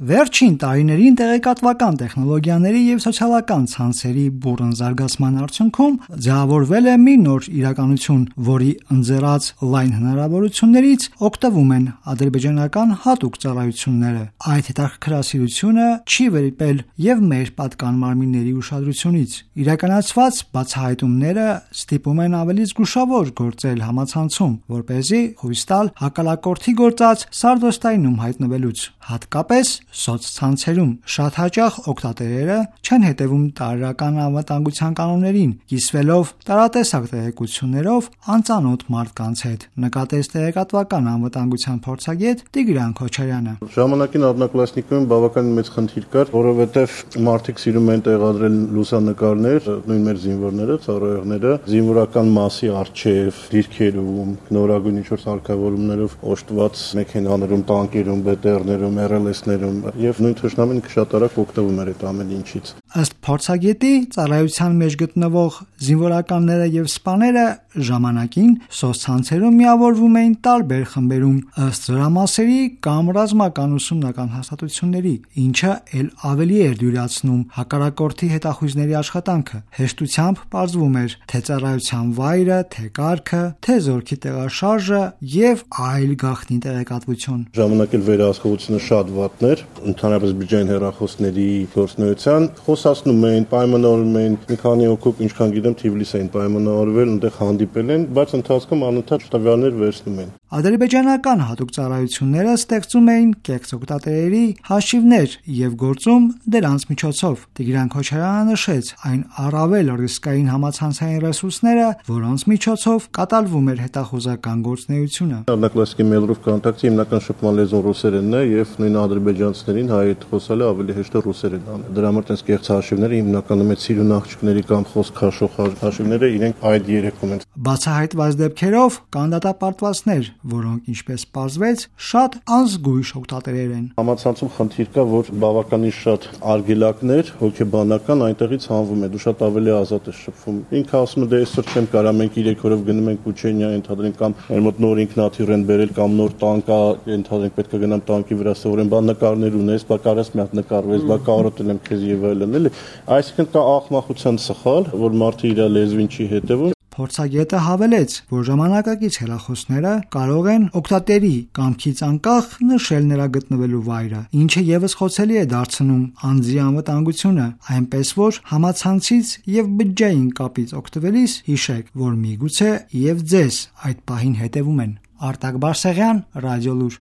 Վերջին տարիներին տեղեկատվական տեխնոլոգիաների եւ սոցիալական ցանցերի բուռն զարգացման արդյունքում ձևավորվել է մի նոր իրականություն, որի ընձեռած լայն հնարավորություններից օգտվում են ադրբեջանական հատուկ ծառայությունները։ Այդ հետաքրքրասիրությունը չի վրիպել եւ մեր պատկան մարմինների ուշադրությունից։ Իրականացված բացահայտումները ստիպում են ավելի զգուշավոր գործել համացանցում, որպեսզի հույս տալ հակալակորդի գործած սարդոստայնում հայտնվելուց, հատկապես սոցցանցերում։ Շատ հաճախ օգտատերերը չեն հետևում տարրական անվտանգության կանոններին, կիսվելով տարատեսակ տեղեկություններով անծանոթ մարդկանց հետ, նկատեց տեղեկատվական անվտանգության փորձագետ Տիգրան Քոչարյանը։ Ժամանակին առնկլասնիկում բավականին մեծ խնդիր կար, որովհետև մարդիկ սիրում են տեղադրել լուսանկարներ, նույն մեր զինվորները, ծառայողները, զինվորական մասի առջև, դիրքերում, նորագույն ինչ-որ սարքավորումներով օժտված մեքենաներում, տանկերում, BTR-ներում, RLS-ներում եւ նույն թշնամին շատ արագ օգտվում էր այդ ամեն ինչից։ Ըստ փորձագետի, ծառայության մեջ գտնվող զինվորականները եւ սպաները ժամանակին սոցցանցերում միավորվում էին տարբեր խմբերում ըստ զորամասերի կամ ռազմական ուսումնական հաստատությունների, ինչը ել ավելի էր դյուրացնում հակառակորդի հետախույզների աշխատանքը։ Հեշտությամբ պարզվում էր թե ծառայության վայրը, թե կարգը, թե զորքի տեղաշարժը եւ այլ գաղտնի տեղեկատվություն։ Ժամանակ էլ վերահսկողությունը շատ վատն էր, ընդհանրապես բջջային հեռախոսների գործունեության խոսացնում էին, պայմանավորվում էին, մի քանի հոգուկ, ինչքան գիտեմ, Թիֆլիս էին պայմանավորվել, այնտեղ հանդիպել են, բայց ընթացքում անընդհատ տվյալներ վերցնում են։ Ադրբեջանական հատուկ ծառայությունները ստեղծում էին կեղծ օգտատերերի հաշիվներ եւ գործում դրանց միջոցով։ Տիգրան Քոչարյանը նշեց այն առավել ռիսկային համացանցային ռեսուրսները, որոնց միջոցով կատարվում էր հետախուզական գործունեությունը։ Առնկլասիկի mail-ով կոնտակտի հիմնական շփման լեզուն ռուսերենն է եւ նույն ադրբեջանցիներին հայերեն խոսալը ավելի հեշտ է ռուսերեն անել։ Դրա համար տես կեղծ հաշիվները հիմնականում այդ սիրուն աղջիկների կամ խոսք քաշող հաշիվները իրենք այդ երեկում են։ Բացահայտված դեպքերով կան դատապարտվածներ, որոնք ինչպես պարզվեց, շատ անզգույշ օգտատերեր են։ Համացանցում խնդիր կա, որ բավականին շատ արգելակներ, հոգեբանական այնտեղից հանվում է, դու շատ ավելի ազատ ես շփվում։ Ինքը ասում է դե այսօր չեմ կարա, մենք 3 օրով գնում ենք Ուչենիա, ընդհանրեն կամ մեր մոտ նոր ինքնաթիռ են բերել կամ նոր տանկ կա, ընդհանրեն պետք է գնամ տանկի վրա սովորեմ, բան նկարներ ունես, բա կարաս մի հատ նկարվես, բա կարոտել եմ քեզ եւ այլն, էլի։ Այսինքն կա աղմախության սխալ, որ մարդը իր լեզվին չի հետևում։ Փորձագետը հավելեց, որ ժամանակակից հեռախոսները կարող են օգտատերի կամքից անկախ նշել նրա գտնվելու վայրը, ինչը եւս խոցելի է դարձնում անձի անվտանգությունը, այնպես որ համացանցից եւ բջջային կապից օգտվելիս հիշեք, որ միգուցե եւ ձեզ այդ պահին հետևում են։ Արտակ Բարսեղյան, Ռադիոլուր։